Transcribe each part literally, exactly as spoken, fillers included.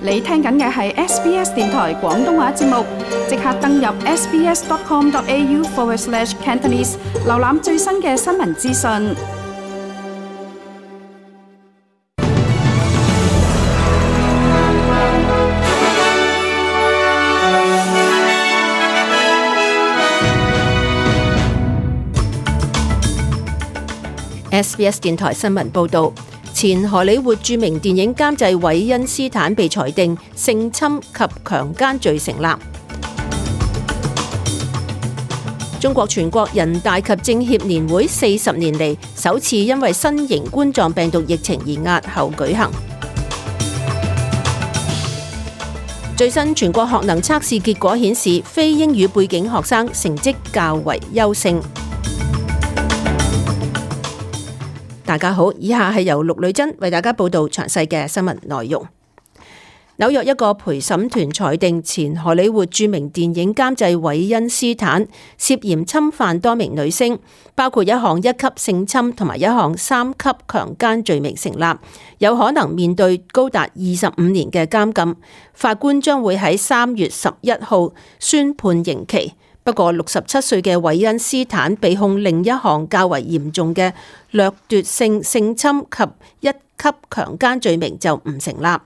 你聽緊嘅係 S B S 電台廣東話節目，即刻登入 sbs.com.au forward slash Cantonese， 瀏覽最新嘅新聞資訊。S B S 電台新聞報導，前荷里活著名電影監製韋恩斯坦被裁定性侵及強姦罪成立。中國全國人大及政協年會四十年嚟首次因為新型冠狀病毒疫情而押後舉行。最新全國學能測試結果顯示，非英語背景學生成績較為優勝。大家好，以下係由陸女珍為大家報道詳細嘅新聞內容。紐約一個陪審團裁定前荷里活著名電影監製韋恩斯坦涉嫌侵犯多名女星，包括一項一級性侵同埋一項三級強姦罪名成立，有可能面對高達二十五年嘅監禁。法官將會喺三月十一號宣判刑期。不過六十七歲嘅韋恩斯坦被控另一項較為嚴重嘅掠奪性性侵及一級強姦罪名就唔成立，而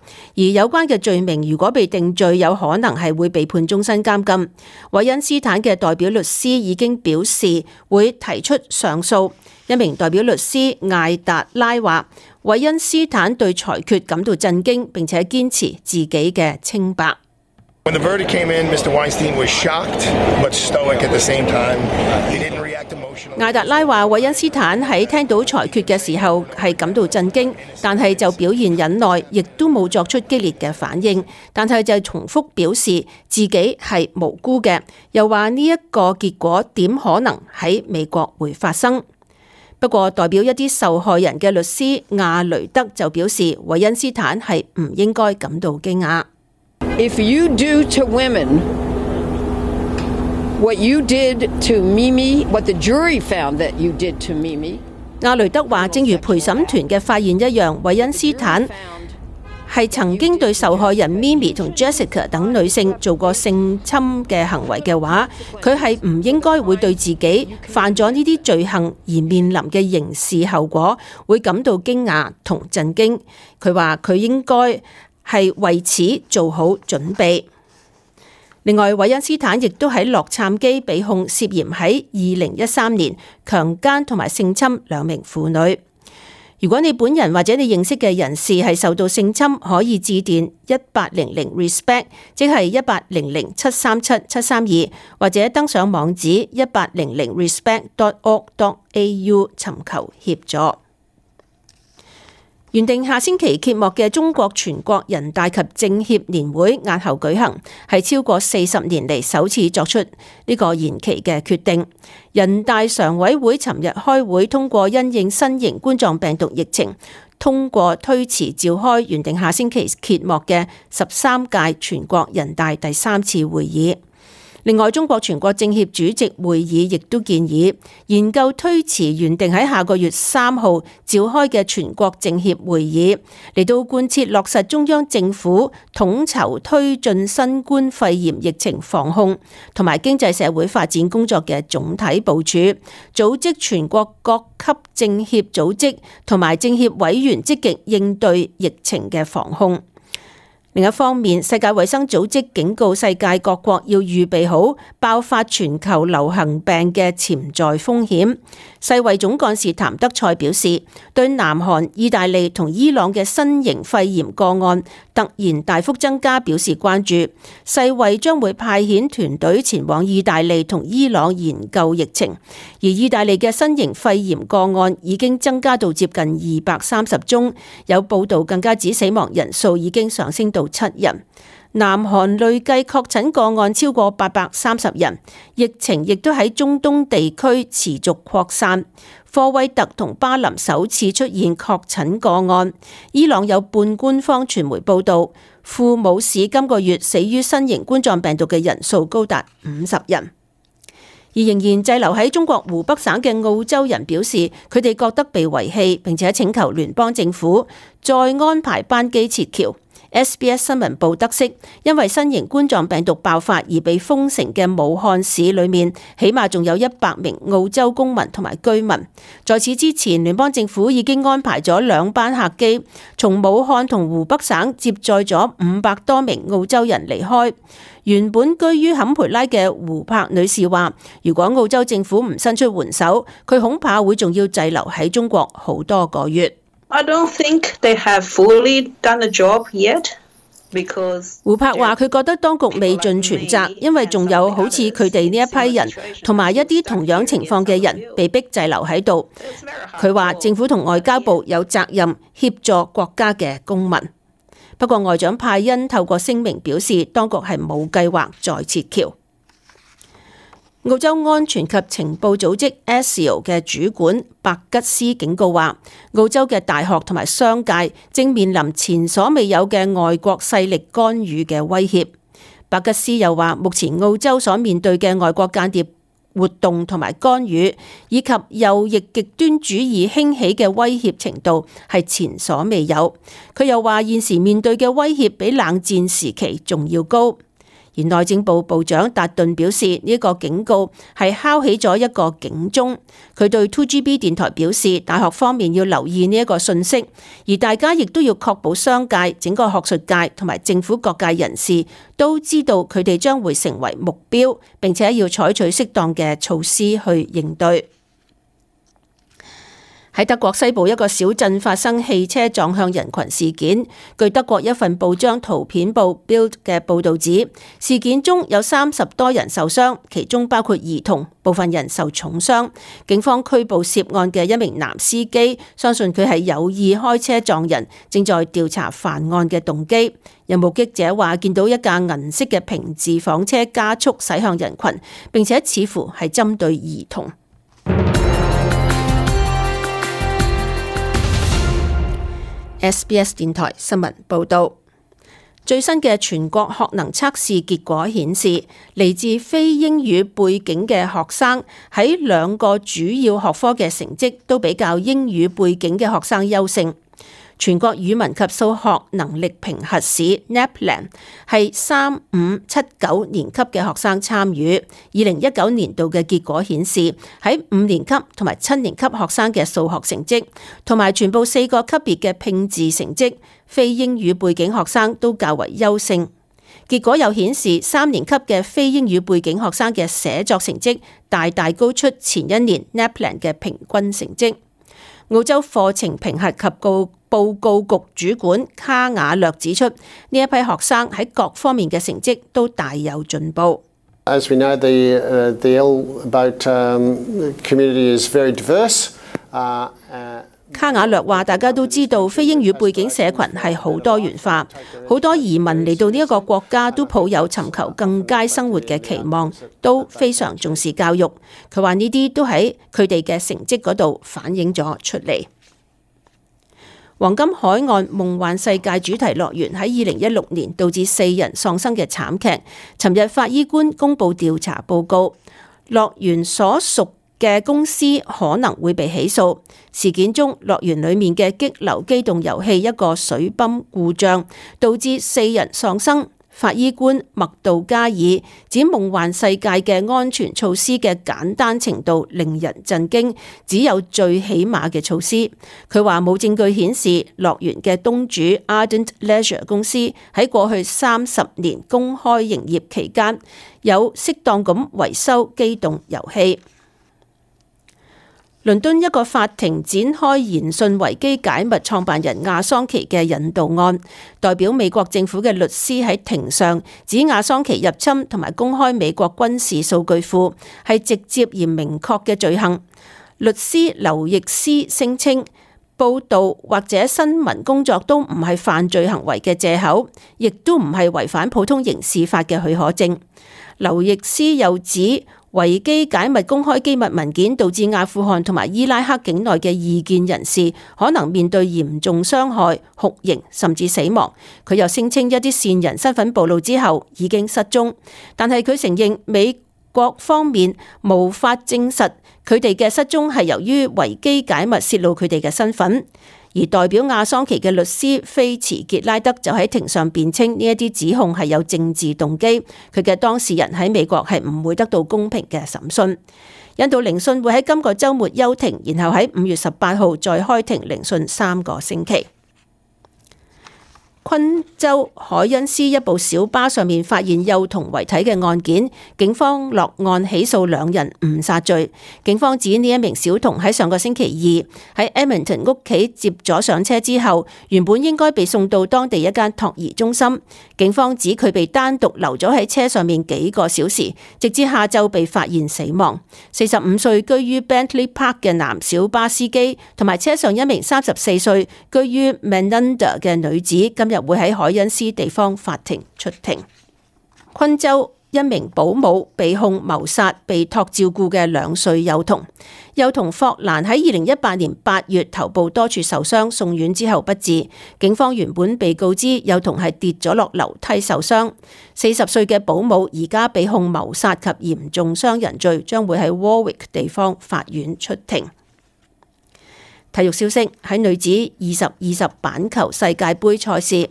有關嘅罪名如果被定罪，有可能係會被判終身監禁。韋恩斯坦嘅代表律師已經表示會提出上訴。一名代表律師艾達拉話，韋恩斯坦對裁決感到震驚，並且堅持自己嘅清白。When the verdict came in, Mister Weinstein was shocked but stoic at the same time. He didn't react emotionally. 艾達拉話，韋恩斯坦喺聽到裁決嘅時候係感到震驚，但係就表現忍耐，亦都冇作出激烈嘅反應，但係就重複表示自己係無辜嘅，又話呢一個結果點可能喺美國會發生。不過代表一啲受害人嘅律師亞雷德就表示，韋恩斯坦係唔應該感到驚訝。If you do to women what you did to Mimi, what the jury found that you did to Mimi， 亞雷德話，正如陪審團嘅發現一樣，韋恩斯坦係曾經對受害人 Mimi 同 Jessica 等女性做過性侵嘅行為嘅話，佢係唔應該會對自己犯咗呢啲罪行而面臨嘅刑事後果會感到驚訝同震驚。佢話佢應該係為此做好準備。另外，韋恩斯坦亦都喺洛杉磯被控涉嫌喺二零一三年強姦同埋性侵兩名婦女。如果你本人或者你認識嘅人士係受到性侵，可以致電一八零零 respect， 即係一八零零七三七七三二，或者登上網址一八零零 respect dot org dot a u 尋求協助。原定下星期揭幕嘅中國全國人大及政協年會押後舉行，係超過四十年嚟首次作出呢個延期嘅決定。人大常委會尋日開會通過因應新型冠狀病毒疫情，通過推遲召開原定下星期揭幕嘅十三屆全國人大第三次會議。另外，中國全國政協主席會議亦都建議研究推遲原定喺下個月三號召開嘅全國政協會議，嚟到貫徹落實中央政府統籌推進新冠肺炎疫情防控同埋經濟社會發展工作嘅總體部署，組織全國各級政協組織同埋政協委員積極應對疫情嘅防控。另一方面，世界衛生組織警告世界各國要預備好爆發全球流行病嘅潛在風險。世衛總幹事譚德塞表示，對南韓、意大利同伊朗嘅新型肺炎個案突然大幅增加表示關注。世衛將會派遣團隊前往意大利同伊朗研究疫情，而意大利嘅新型肺炎個案已經增加到接近二百三十宗，有報道更加指死亡人數已經上升到七人。南韓累計確診個案超過八百三十人，疫情亦都喺中東地區持續擴散。科威特同巴林首次出現確診個案。伊朗有半官方傳媒報道，庫姆市今個月死於新型冠狀病毒嘅人數高達五十人。而仍然滯留喺中國湖北省嘅澳洲人表示，佢哋覺得被遺棄，並且請求聯邦政府再安排班機撤僑。S B S 新聞部得悉，因為新型冠狀病毒爆發而被封城嘅武漢市裏面，起碼仲有一百名澳洲公民同埋居民。在此之前，聯邦政府已經安排咗兩班客機從武漢同湖北省接載咗五百多名澳洲人離開。原本居於坎培拉嘅胡柏女士話，如果澳洲政府唔伸出援手，佢恐怕會仲要滯留喺中國好多個月。I don't think they have fully done the job yet, because 胡柏話：佢覺得當局未盡全責，因為仲有好似佢哋呢一批人，同埋一啲同樣情況嘅人被逼滯留喺度。佢話政府同外交部有責任協助國家嘅公民。不過外長派恩透過聲明表示，當局係冇計劃再撤僑。澳洲安全及情報組織 A S I O 嘅主管白吉斯警告話，澳洲嘅大學同埋商界正面臨前所未有嘅外國勢力干預嘅威脅。白吉斯又話，目前澳洲所面對嘅外國間諜活動同埋干預，以及右翼極端主義興起嘅威脅程度係前所未有。佢又話，現時面對嘅威脅比冷戰時期仲要高。而內政部部長達頓表示，呢個警告係敲起咗一個警鐘。佢對 two G B 電台表示，大學方面要留意呢一個訊息，而大家亦都要確保商界、整個學術界同埋政府各界人士都知道佢哋將會成為目標，並且要採取適當嘅措施去應對。喺德國西部一個小鎮發生汽車撞向人群事件，據德國一份報章圖片報 Bild 嘅報導指，事件中有三十多人受傷，其中包括兒童，部分人受重傷。警方拘捕涉案嘅一名男司機，相信佢係有意開車撞人，正在調查犯案嘅動機。有目擊者話見到一架銀色嘅平治房車加速駛向人群，並且似乎係針對兒童。S B S 電台新聞報導，最新嘅全國學能測試結果顯示，嚟自非英語背景嘅學生喺兩個主要學科嘅成績都比較英語背景嘅學生優勝。全國語文及數學能力評核試 NAPLAN 係三五七九年級嘅學生參與。二零一九年度嘅結果顯示，喺五年級同埋七年級學生嘅數學成績，同埋全部四個級別嘅拼字成績，非英語背景學生都較為優勝。結果又顯示，三年級嘅非英語背景學生嘅寫作成績大大高出前一年 NAPLAN 嘅平均成績。澳洲課程評核及告報告局主管卡瓦略指出，呢一批學生喺各方面嘅成績都大有進步。As we know, the uh, the L about um, community is very diverse. Uh, uh, 卡瓦略話：大家都知道非英語背景社群係好多元化，好多移民嚟到呢一個國家都抱有尋求更佳生活嘅期望，都非常重視教育。佢話呢啲都喺佢哋嘅成績嗰度反映咗出嚟。黃金海岸夢幻世界主題樂園喺二零一六年導致四人喪生嘅慘劇，尋日法醫官公布調查報告，樂園所屬嘅公司可能會被起訴。事件中，樂園裡面嘅激流機動遊戲一個水泵故障，導致四人喪生。法醫官麥道加爾指夢幻世界嘅安全措施嘅簡單程度令人震驚，只有最起碼嘅措施。佢話冇證據顯示樂園嘅東主 Ardent Leisure 公司喺過去三十年公開營業期間有適當咁維修機動遊戲。倫敦一個法庭展開研訊維基解密創辦人亞桑奇嘅引渡案，代表美國政府嘅律師喺庭上指亞桑奇入侵同埋公開美國軍事數據庫係直接而明確嘅罪行。律師劉易斯聲稱，報導或者新聞工作都唔係犯罪行為嘅藉口，亦都唔係違反普通刑事法嘅許可證。劉易斯又指，維基解密公開機密文件導致阿富汗同埋伊拉克境內嘅異見人士可能面對嚴重傷害、酷刑甚至死亡。佢又聲稱一啲線人身份暴露之後已經失蹤，但係佢承認美國方面無法證實佢哋嘅失蹤係由於維基解密泄露佢哋嘅身份。而代表亞桑奇嘅律師菲茨傑拉德就喺庭上辯稱呢一啲指控係有政治動機，佢嘅當事人喺美國係唔會得到公平嘅審訊。引渡聆訊會喺今個週末休庭，然後喺五月十八號再開庭聆訊三個星期。昆州海恩斯一部小巴上面發現幼童遺體嘅案件，警方落案起訴兩人誤殺罪。警方指呢一名小童喺上個星期二喺 Edmonton 屋企接咗上車之後，原本應該被送到當地一間托兒中心。警方指佢被單獨留咗喺車上面幾個小時，直至下晝被發現死亡。四十五歲居於 Bentley Park 嘅男小巴司機同埋車上一名三十四歲居於 Menands 嘅女子今日會喺海恩斯地方法庭出庭。昆州一名保姆被控謀殺被託照顧嘅兩歲幼童。幼童霍蘭喺二零一八年八月頭部多處受傷，送院之後不治。警方原本被告知幼童係跌咗落樓梯受傷。四十歲嘅保姆而家被控謀殺及嚴重傷人罪，將會喺 Warwick 地方法院出庭。體育消息，喺女子二十二十板球世界盃賽事，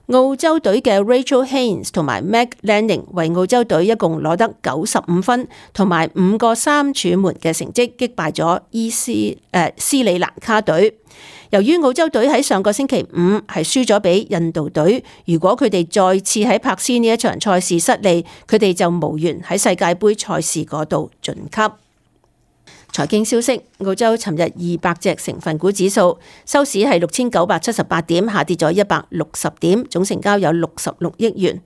澳洲隊嘅 Rachel Haynes 同埋 Meg Lanning 為澳洲隊一共攞得九十五分同埋五個三柱門嘅成績，擊敗咗伊斯誒、呃、斯里蘭卡隊。由於澳洲隊喺上個星期五係輸咗俾印度隊，如果佢哋再次喺柏斯呢一場賽事失利，佢哋就無緣喺世界盃賽事嗰度晉級。財經消息，澳洲尋日二百隻成分股指數收市係六千九百七十八點，下跌咗一百六十點，總成交有六十六億元。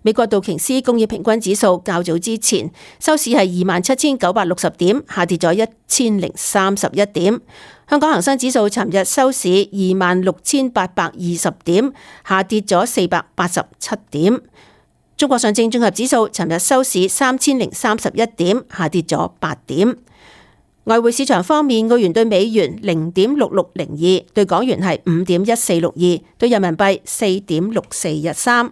美國道瓊斯工業平均指數較早之前收市係二萬七千九百六十點，下跌咗一千零三十一點。香港恒生指數尋日收市二萬六千八百二十點，下跌咗四百八十七點。中國上證綜合指數尋日收市三千零三十一點，下跌咗八點。外匯市場方面，澳元對美元零點六六零二，對港元係五點一四六二，對人民幣四點六四一三。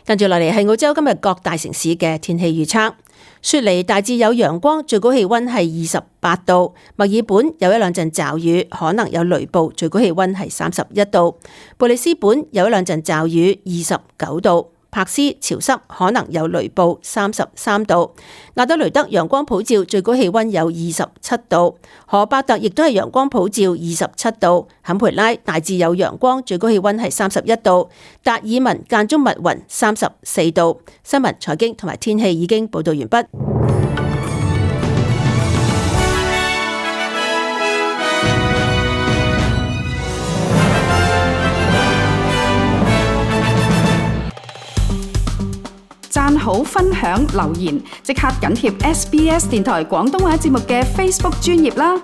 跟住落嚟係澳洲今日各大城市嘅天氣預測。雪梨大致有陽光，最高氣溫係二十八度；墨爾本有一兩陣驟雨，可能有雷暴，最高氣溫係三十一度；布里斯本有一兩陣驟雨，二十九度。柏斯潮濕，可能有雷暴，三十三度；亞德雷德陽光普照，最高氣溫有二十七度；荷伯特亦都係陽光普照，二十七度；坎培拉大致有陽光，最高氣溫係三十一度；達爾文間中密雲，三十四度。新聞、財經同埋天氣已經報道完畢。讚好、分享、留言，即刻緊貼 S B S 電台廣東話節目嘅 Facebook 專頁啦！